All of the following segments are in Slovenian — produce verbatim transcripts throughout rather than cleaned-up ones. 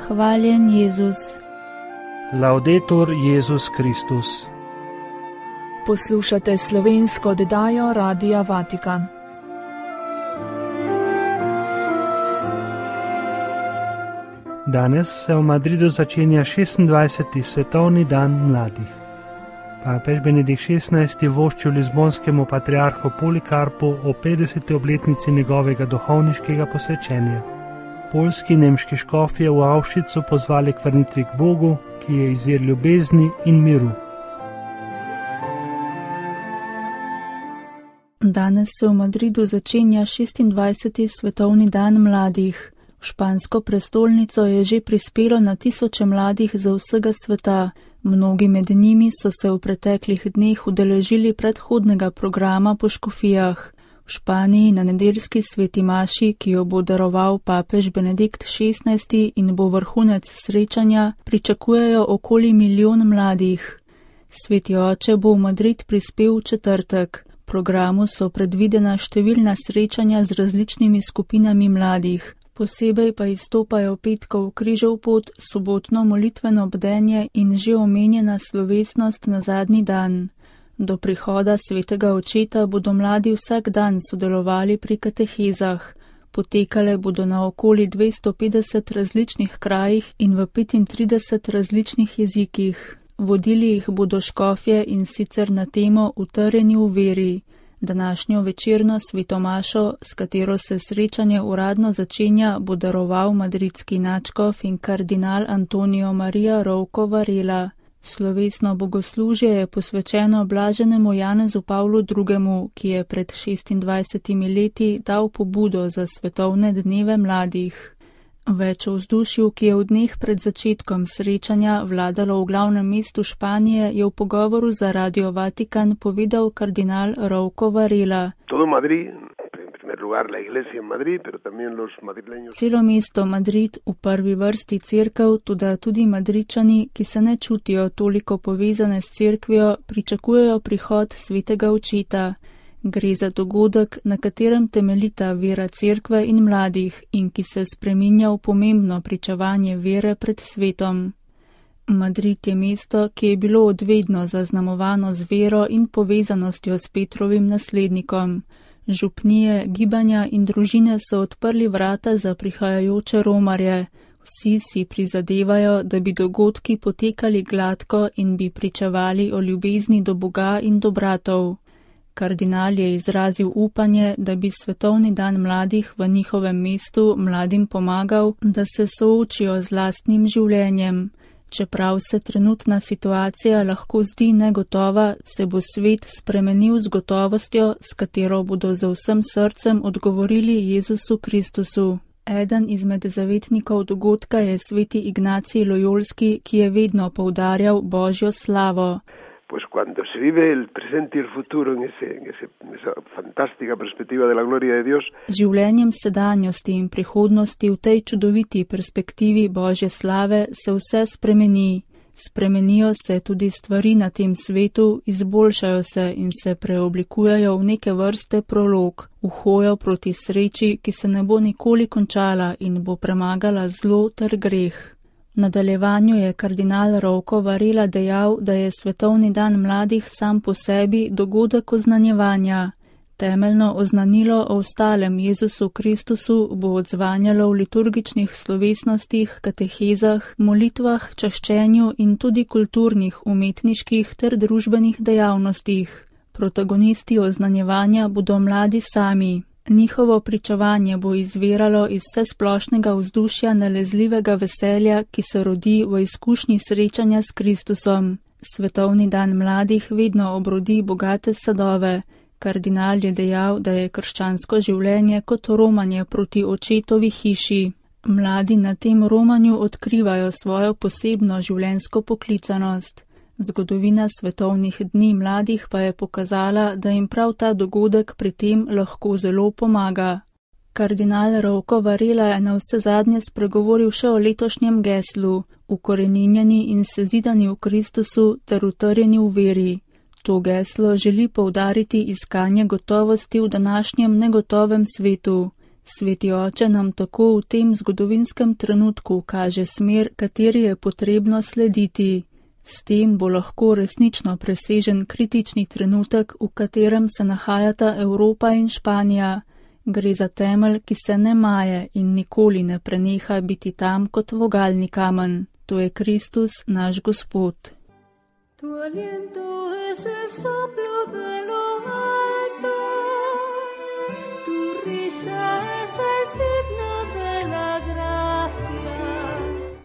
Hvaljen Jezus. Laudetur Jezus Kristus. Poslušate slovensko oddajo Radia Vatikan. Danes se v Madridu začenja šestindvajseti svetovni dan mladih. Papež Benedikt šestnajsti vošči lizbonskemu patriarhu Polikarpu o petdeseti obletnici njegovega duhovniškega posvečenja. Poljski in nemški škofje v Auschwitzu pozvali k vrnitvi k Bogu, ki je izvir ljubezni in miru. Danes se v Madridu začenja šestindvajseti svetovni dan mladih. V špansko prestolnico je že prispelo na tisoče mladih za vsega sveta. Mnogi med njimi so se v preteklih dneh udeležili predhodnega programa po škofijah. V Španiji na nedeljski sveti maši, ki jo bo daroval papež Benedikt šestnajsti in bo vrhunec srečanja, pričakujejo okoli milijon mladih. Sveti oče bo v Madrid prispel v četrtek. V programu so predvidena številna srečanja z različnimi skupinami mladih. Posebej pa izstopajo petkov križev pot, sobotno molitveno bdenje in že omenjena slovesnost na zadnji dan. Do prihoda svetega očeta bodo mladi vsak dan sodelovali pri katehezah. Potekale bodo na okoli dvesto petdeset različnih krajih in v petintrideset različnih jezikih. Vodili jih bodo škofje in sicer na temo Utrjeni v veri. Današnjo večerno svetomašo, s katero se srečanje uradno začenja, bo daroval madridski nadškof in kardinal Antonio Maria Rouco Varela. Slovesno bogoslužje je posvečeno blaženemu Janezu Pavlu drugemu, ki je pred šestindvajsetimi leti dal pobudo za svetovne dneve mladih. Več o vzdušju, ki je v dneh pred začetkom srečanja vladalo v glavnem mestu Španije, je v pogovoru za Radio Vatikan povedal kardinal Rouco Varela. Celo mesto Madrid, v prvi vrsti cerkev, toda tudi Madridčani, ki se ne čutijo toliko povezane s cerkvijo, pričakujejo prihod svetega očeta. Gre za dogodek, na katerem temeljita vera cerkve in mladih in ki se spreminja v pomembno pričevanje vere pred svetom. Madrid je mesto, ki je bilo odvedno zaznamovano z vero in povezanostjo s Petrovim naslednikom. Župnije, gibanja in družine so odprli vrata za prihajajoče romarje. Vsi si prizadevajo, da bi dogodki potekali gladko in bi pričevali o ljubezni do Boga in do bratov. Kardinal je izrazil upanje, da bi svetovni dan mladih v njihovem mestu mladim pomagal, da se soočijo z lastnim življenjem. Čeprav se trenutna situacija lahko zdi negotova, se bo svet spremenil z gotovostjo, s katero bodo z vsem srcem odgovorili Jezusu Kristusu. Eden izmed zavetnikov dogodka je sveti Ignacij Lojolski, ki je vedno poudarjal Božjo slavo. Pues cuando se vive el presente y el futuro en, ese, en, ese, en esa fantástica perspectiva de la gloria de Dios. Življenjem sedanjosti in prihodnosti v tej čudoviti perspektivi Božje slave se vse spremeni. Spremenijo se tudi stvari na tem svetu, izboljšajo se in se preoblikujejo v neke vrste prolog, v hojo proti sreči, ki se ne bo nikoli končala in bo premagala zlo ter greh. V nadaljevanju je kardinal Rouco Varela dejal, da je svetovni dan mladih sam po sebi dogodek oznanjevanja. Temeljno oznanilo o ostalem Jezusu Kristusu bo odzvanjalo v liturgičnih slovesnostih, katehezah, molitvah, čaščenju in tudi kulturnih, umetniških ter družbenih dejavnostih. Protagonisti oznanjevanja bodo mladi sami. Njihovo pričevanje bo izviralo iz vsesplošnega vzdušja nalezljivega veselja, ki se rodi v izkušnji srečanja s Kristusom. Svetovni dan mladih vedno obrodi bogate sadove. Kardinal je dejal, da je krščansko življenje kot romanje proti očetovi hiši. Mladi na tem romanju odkrivajo svojo posebno življenjsko poklicanost. Zgodovina svetovnih dni mladih pa je pokazala, da jim prav ta dogodek pri tem lahko zelo pomaga. Kardinal Rouco Varela je na vse zadnje spregovoril še o letošnjem geslu, ukoreninjeni in sezidani v Kristusu ter utrjeni v veri. To geslo želi poudariti iskanje gotovosti v današnjem negotovem svetu. Sveti oče nam tako v tem zgodovinskem trenutku kaže smer, kateri je potrebno slediti. S tem bo lahko resnično presežen kritični trenutek, v katerem se nahajata Evropa in Španija. Gre za temelj, ki se ne maje in nikoli ne preneha biti tam kot vogalni kamen. To je Kristus, naš Gospod. Tu aliento es el soplo de lo alto, tu risa es el signo de la gracia.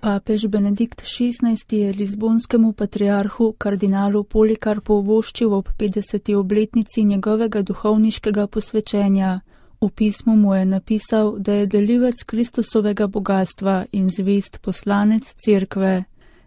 Papež Benedikt šestnajsti je lizbonskemu patriarhu kardinalu Polikarpu voščil ob petdeseti obletnici njegovega duhovniškega posvečenja. V pismu mu je napisal, da je delivec Kristusovega bogatstva in zvest poslanec cerkve.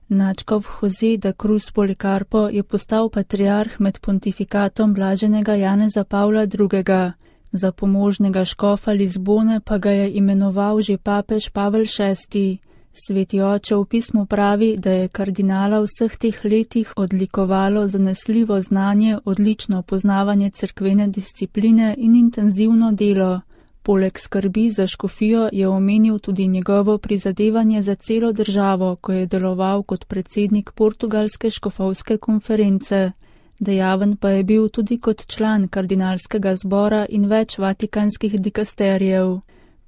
Nadškof Jose da Cruz Polikarpo je postal patriarh med pontifikatom blaženega Janeza Pavla drugega. Za pomožnega škofa Lizbone pa ga je imenoval že papež Pavel šesti. Sveti oče v pismu pravi, da je kardinala v vseh teh letih odlikovalo zanesljivo znanje, odlično poznavanje cerkvene discipline in intenzivno delo. Poleg skrbi za škofijo je omenil tudi njegovo prizadevanje za celo državo, ko je deloval kot predsednik portugalske škofovske konference. Dejaven pa je bil tudi kot član kardinalskega zbora in več vatikanskih dikasterijev.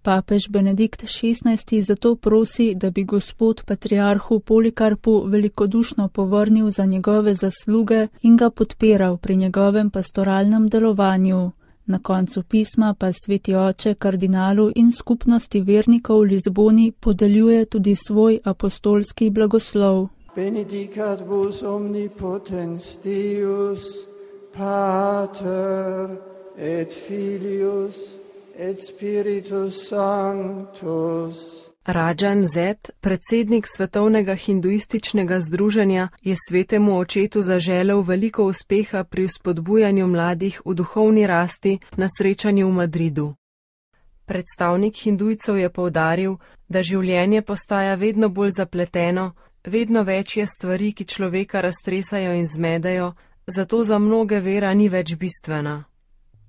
Papež Benedikt šestnajsti zato prosi, da bi Gospod patriarhu Polikarpu velikodušno povrnil za njegove zasluge in ga podpiral pri njegovem pastoralnem delovanju. Na koncu pisma pa sveti oče kardinalu in skupnosti vernikov v Lizboni podeljuje tudi svoj apostolski blagoslov. Benedicat vos omnipotens Deus, Pater et Filius et Spiritus Sanctus. Rajan Zet, predsednik Svetovnega hinduističnega združenja, je svetemu očetu zaželel veliko uspeha pri vzpodbujanju mladih v duhovni rasti na srečanju v Madridu. Predstavnik hindujcev je poudaril, da življenje postaja vedno bolj zapleteno, vedno več je stvari, ki človeka raztresajo in zmedejo, zato za mnoge vera ni več bistvena.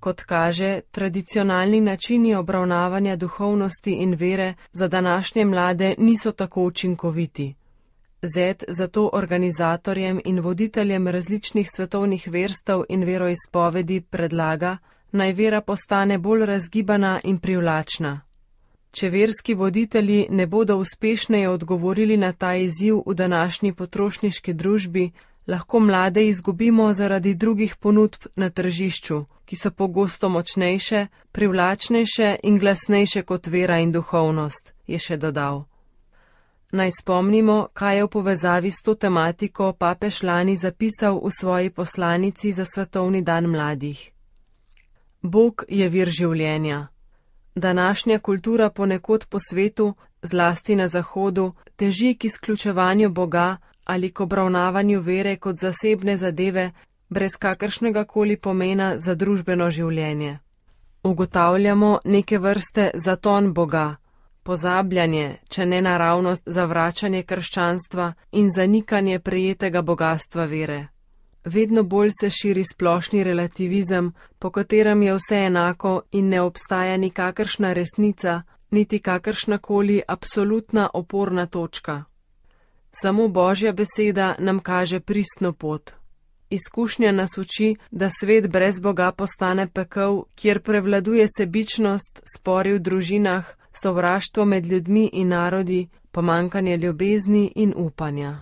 Kot kaže, tradicionalni načini obravnavanja duhovnosti in vere za današnje mlade niso tako učinkoviti. Zet zato organizatorjem in voditeljem različnih svetovnih verstev in veroizpovedi predlaga, naj vera postane bolj razgibana in privlačna. Če verski voditelji ne bodo uspešneje odgovorili na ta izziv v današnji potrošniški družbi, lahko mlade izgubimo zaradi drugih ponudb na tržišču, ki so pogosto močnejše, privlačnejše in glasnejše kot vera in duhovnost, je še dodal. Naj spomnimo, kaj je v povezavi s to tematiko papež lani zapisal v svoji poslanici za Svetovni dan mladih. Bog je vir življenja. Današnja kultura ponekod po svetu, zlasti na Zahodu, teži k izključevanju Boga ali k obravnavanju vere kot zasebne zadeve, brez kakršnega koli pomena za družbeno življenje. Ugotavljamo neke vrste zaton Boga, pozabljanje, če ne naravnost, zavračanje krščanstva in zanikanje prejetega bogastva vere. Vedno bolj se širi splošni relativizem, po katerem je vse enako in ne obstaja nikakršna resnica, niti kakršnakoli absolutna oporna točka. Samo Božja beseda nam kaže pristno pot. Izkušnja nas uči, da svet brez Boga postane pekel, kjer prevladuje sebičnost, spori v družinah, sovraštvo med ljudmi in narodi, pomanjkanje ljubezni in upanja.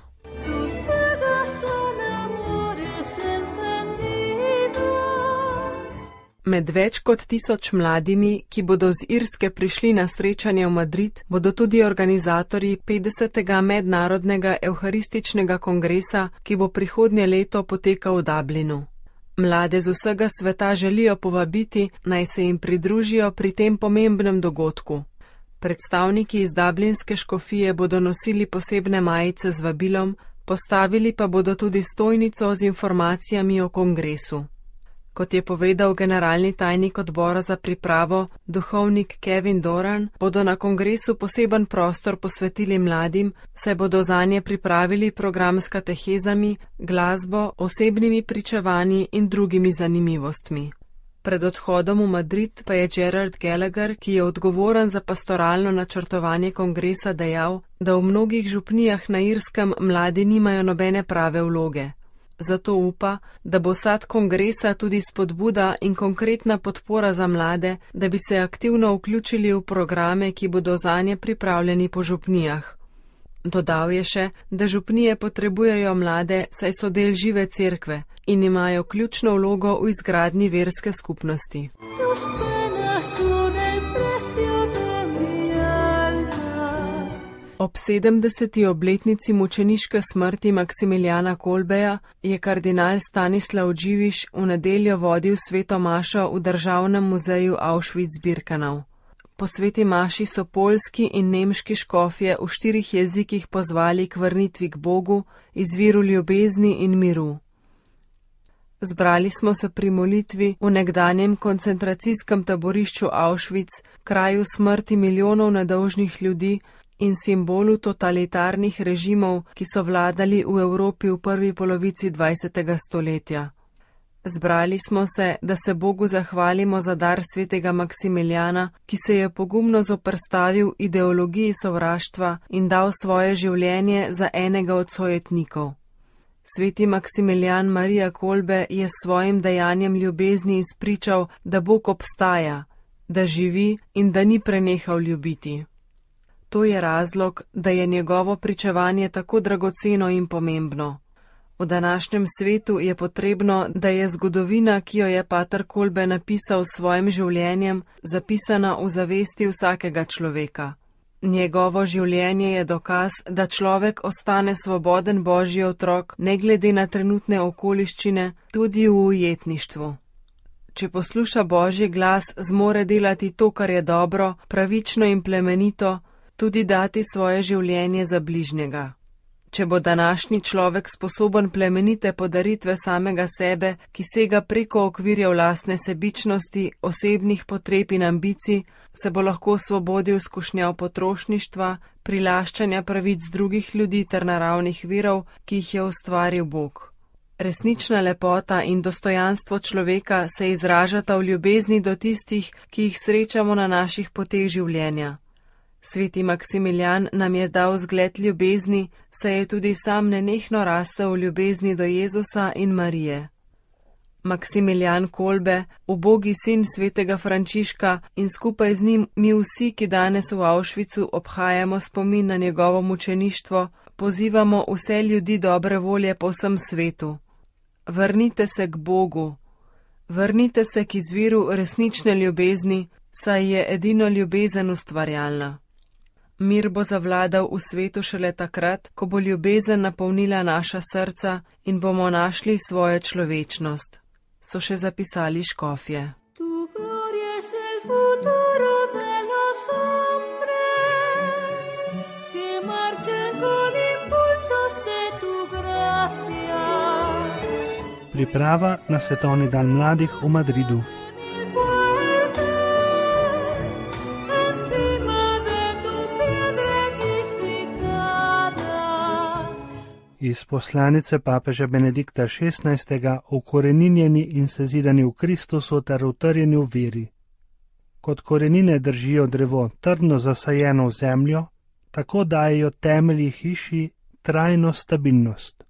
Med več kot tisoč mladimi, ki bodo z Irske prišli na srečanje v Madrid, bodo tudi organizatorji petdesetega mednarodnega evharističnega kongresa, ki bo prihodnje leto potekal v Dublinu. Mlade z vsega sveta želijo povabiti, naj se jim pridružijo pri tem pomembnem dogodku. Predstavniki iz dublinske škofije bodo nosili posebne majice z vabilom, postavili pa bodo tudi stojnico z informacijami o kongresu. Kot je povedal generalni tajnik odbora za pripravo, duhovnik Kevin Doran, bodo na kongresu poseben prostor posvetili mladim, saj bodo zanje pripravili program s katehezami, glasbo, osebnimi pričevanji in drugimi zanimivostmi. Pred odhodom v Madrid pa je Gerard Gallagher, ki je odgovoren za pastoralno načrtovanje kongresa, dejal, da v mnogih župnijah na Irskem mladi nimajo nobene prave vloge. Zato upa, da bo sad kongresa tudi spodbuda in konkretna podpora za mlade, da bi se aktivno vključili v programe, ki bodo zanje pripravljeni po župnijah. Dodal je še, da župnije potrebujejo mlade, saj so del žive cerkve in imajo ključno vlogo v izgradnji verske skupnosti. Ob sedemdeseti obletnici mučeniške smrti Maksimiljana Kolbeja je kardinal Stanislav Dživiš v nedeljo vodil sveto mašo v Državnem muzeju Auschwitz-Birkenau. Po sveti maši so poljski in nemški škofje v štirih jezikih pozvali k vrnitvi k Bogu, izviru ljubezni in miru. Zbrali smo se pri molitvi v nekdanjem koncentracijskem taborišču Auschwitz, kraju smrti milijonov nedolžnih ljudi in simbolu totalitarnih režimov, ki so vladali v Evropi v prvi polovici dvajsetega stoletja. Zbrali smo se, da se Bogu zahvalimo za dar svetega Maksimiljana, ki se je pogumno zoperstavil ideologiji sovraštva in dal svoje življenje za enega od sojetnikov. Sveti Maksimiljan Marija Kolbe je s svojim dejanjem ljubezni izpričal, da Bog obstaja, da živi in da ni prenehal ljubiti. To je razlog, da je njegovo pričevanje tako dragoceno in pomembno. V današnjem svetu je potrebno, da je zgodovina, ki jo je pater Kolbe napisal s svojim življenjem, zapisana v zavesti vsakega človeka. Njegovo življenje je dokaz, da človek ostane svoboden Božji otrok, ne glede na trenutne okoliščine, tudi v ujetništvu. Če posluša Božji glas, zmore delati to, kar je dobro, pravično in plemenito, tudi dati svoje življenje za bližnjega. Če bo današnji človek sposoben plemenite podaritve samega sebe, ki sega preko okvirjev lastne sebičnosti, osebnih potreb in ambicij, se bo lahko osvobodil skušnjav potrošništva, prilaščanja pravic drugih ljudi ter naravnih virov, ki jih je ustvaril Bog. Resnična lepota in dostojanstvo človeka se izražata v ljubezni do tistih, ki jih srečamo na naših poteh življenja. Sveti Maksimiljan nam je dal zgled ljubezni, saj je tudi sam nenehno rasel v ljubezni do Jezusa in Marije. Maksimiljan Kolbe, ubogi sin svetega Frančiška in skupaj z njim mi vsi, ki danes v Auschwitzu obhajamo spomin na njegovo mučeništvo, pozivamo vse ljudi dobre volje po vsem svetu. Vrnite se k Bogu, vrnite se k izviru resnične ljubezni, saj je edino ljubezen ustvarjalna. Mir bo zavladal v svetu šele takrat, ko bo ljubezen napolnila naša srca in bomo našli svojo človečnost, so še zapisali škofje. Priprava na svetovni dan mladih v Madridu. Iz poslanice papeža Benedikta šestnajstega ukoreninjeni in sezidani v Kristusu ter utrjeni v veri. Kot korenine držijo drevo trdno zasajeno v zemljo, tako dajejo temelji hiši trajno stabilnost.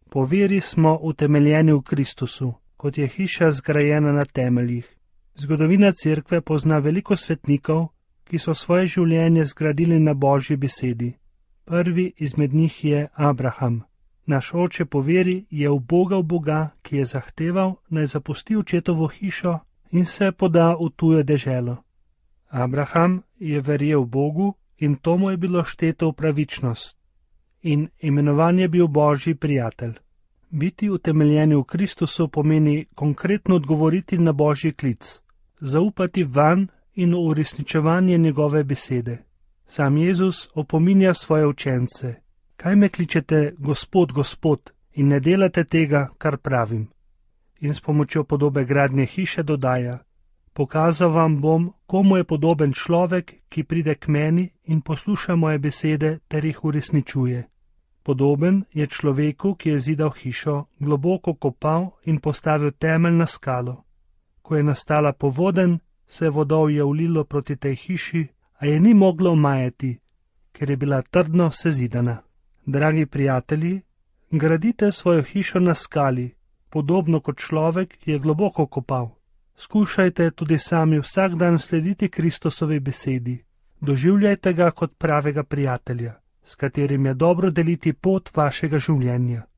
Po veri smo utemeljeni v Kristusu, kot je hiša zgrajena na temeljih. Zgodovina cerkve pozna veliko svetnikov, ki so svoje življenje zgradili na Božji besedi. Prvi izmed njih je Abraham. Naš oče po veri je ubogal Boga, ki je zahteval, naj zapusti očetovo hišo in se poda v tujo deželo. Abraham je verjel Bogu in to mu je bilo šteto v pravičnost. In imenovan je bil Božji prijatelj. Biti utemeljeni v Kristusu pomeni konkretno odgovoriti na Božji klic, zaupati vanj in v uresničevanje njegove besede. Sam Jezus opominja svoje učence: kaj me kličete Gospod, Gospod, in ne delate tega, kar pravim. In s pomočjo podobe gradnje hiše dodaja: pokazal vam bom, komu je podoben človek, ki pride k meni in posluša moje besede ter jih uresničuje. Podoben je človeku, ki je zidal hišo, globoko kopal in postavil temelj na skalo. Ko je nastala povodenj, se je vodovje ulilo proti tej hiši, a je ni moglo omajati, ker je bila trdno sezidana. Dragi prijatelji, gradite svojo hišo na skali, podobno kot človek, ki je globoko kopal. Skušajte tudi sami vsak dan slediti Kristusovi besedi. Doživljajte ga kot pravega prijatelja, s katerim je dobro deliti pot vašega življenja.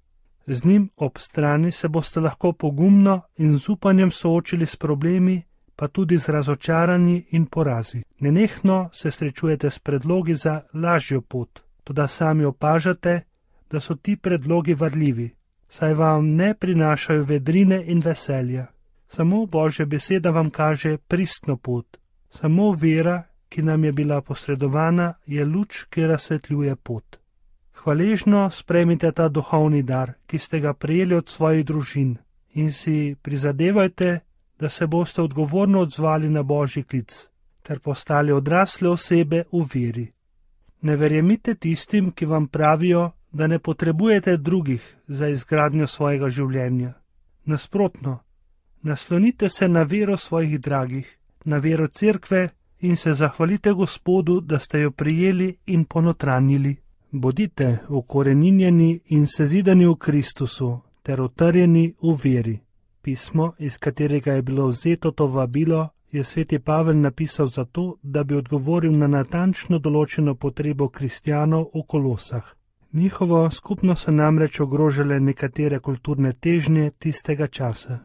Z njim ob strani se boste lahko pogumno in z upanjem soočili s problemi, pa tudi z razočaranji in porazi. Nenehno se srečujete s predlogi za lažjo pot, toda sami opažate, da so ti predlogi varljivi, saj vam ne prinašajo vedrine in veselja. Samo Božja beseda vam kaže pristno pot. Samo vera, ki nam je bila posredovana, je luč, ki razsvetljuje pot. Hvaležno sprejmite ta duhovni dar, ki ste ga prejeli od svojih družin, in si prizadevajte, da se boste odgovorno odzvali na Božji klic, ter postali odrasle osebe v veri. Ne verjemite tistim, ki vam pravijo, da ne potrebujete drugih za izgradnjo svojega življenja. Nasprotno, naslonite se na vero svojih dragih, na vero cerkve in se zahvalite Gospodu, da ste jo prijeli in ponotranjili. Bodite ukoreninjeni in sezidani v Kristusu ter utrjeni v veri. Pismo, iz katerega je bilo vzeto to vabilo, je sveti Pavel napisal zato, da bi odgovoril na natančno določeno potrebo kristjanov v Kolosah. Njihovo skupno so namreč ogrožale nekatere kulturne težnje tistega časa.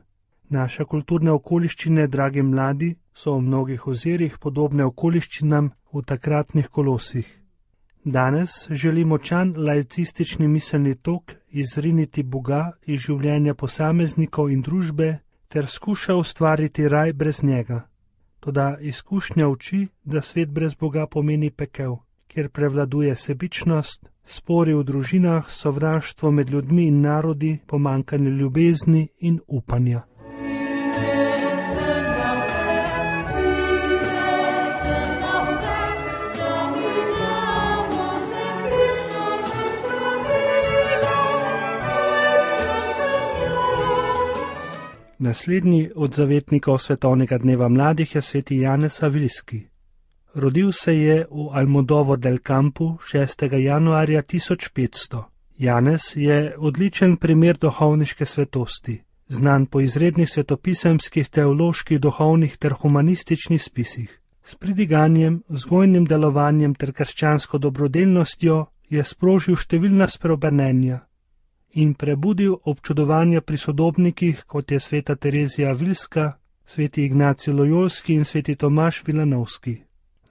Naše kulturne okoliščine, dragi mladi, so v mnogih ozirih podobne okoliščinam v takratnih Kolosih. Danes želi močan laicistični miselni tok izriniti Boga iz življenja posameznikov in družbe ter skuša ustvariti raj brez njega. Toda izkušnja uči, da svet brez Boga pomeni pekel, kjer prevladuje sebičnost, spori v družinah, sovraštvo med ljudmi in narodi, pomanjkanje ljubezni in upanja. Naslednji od zavetnikov svetovnega dneva mladih je sveti Janez Avilski. Rodil se je v Almodovar del Campu šestega januarja tisoč petsto. Janez je odličen primer duhovniške svetosti, znan po izrednih svetopisemskih, teoloških, duhovnih ter humanističnih spisih. S pridiganjem, vzgojnim delovanjem ter krščansko dobrodelnostjo je sprožil številna spreobrnenja in prebudil občudovanja pri sodobnikih, kot je sveta Terezija Avilska, sveti Ignacij Lojolski in sveti Tomaž Vilanovski.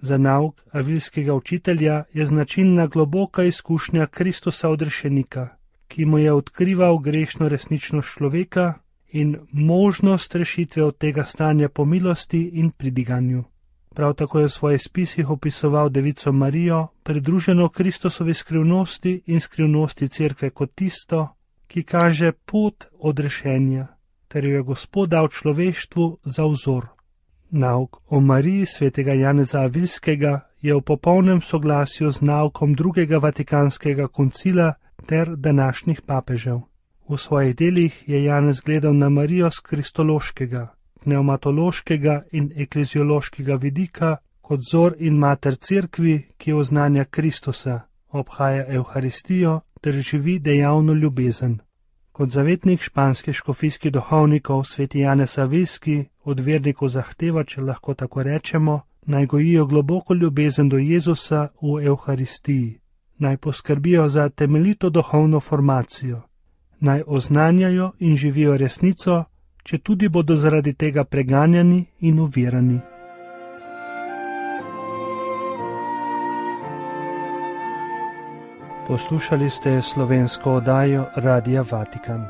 Za nauk avilskega učitelja je značilna globoka izkušnja Kristusa odrešenika, ki mu je odkrival grešno resničnost človeka in možnost rešitve od tega stanja po milosti in pridiganju. Prav tako je v svojih spisih opisoval Devico Marijo, pridruženo Kristusovi skrivnosti in skrivnosti cerkve kot tisto, ki kaže pot odrešenja, ter jo je Gospod dal človeštvu za vzor. Nauk o Mariji svetega Janeza Avilskega je v popolnem soglasju z naukom drugega vatikanskega koncila ter današnjih papežev. V svojih delih je Janez gledal na Marijo z kristološkega, pneumatološkega in ekleziološkega vidika kot vzor in mater cerkvi, ki oznanja Kristusa, obhaja Evharistijo ter živi dejavno ljubezen. Kot zavetnik španskih škofijskih duhovnikov sveti Janez Avilski od vernikov zahteva, če lahko tako rečemo, naj gojijo globoko ljubezen do Jezusa v Evharistiji, naj poskrbijo za temeljito duhovno formacijo, naj oznanjajo in živijo resnico, če tudi bodo zaradi tega preganjani in uvirani. Poslušali ste slovensko oddajo Radia Vatikan.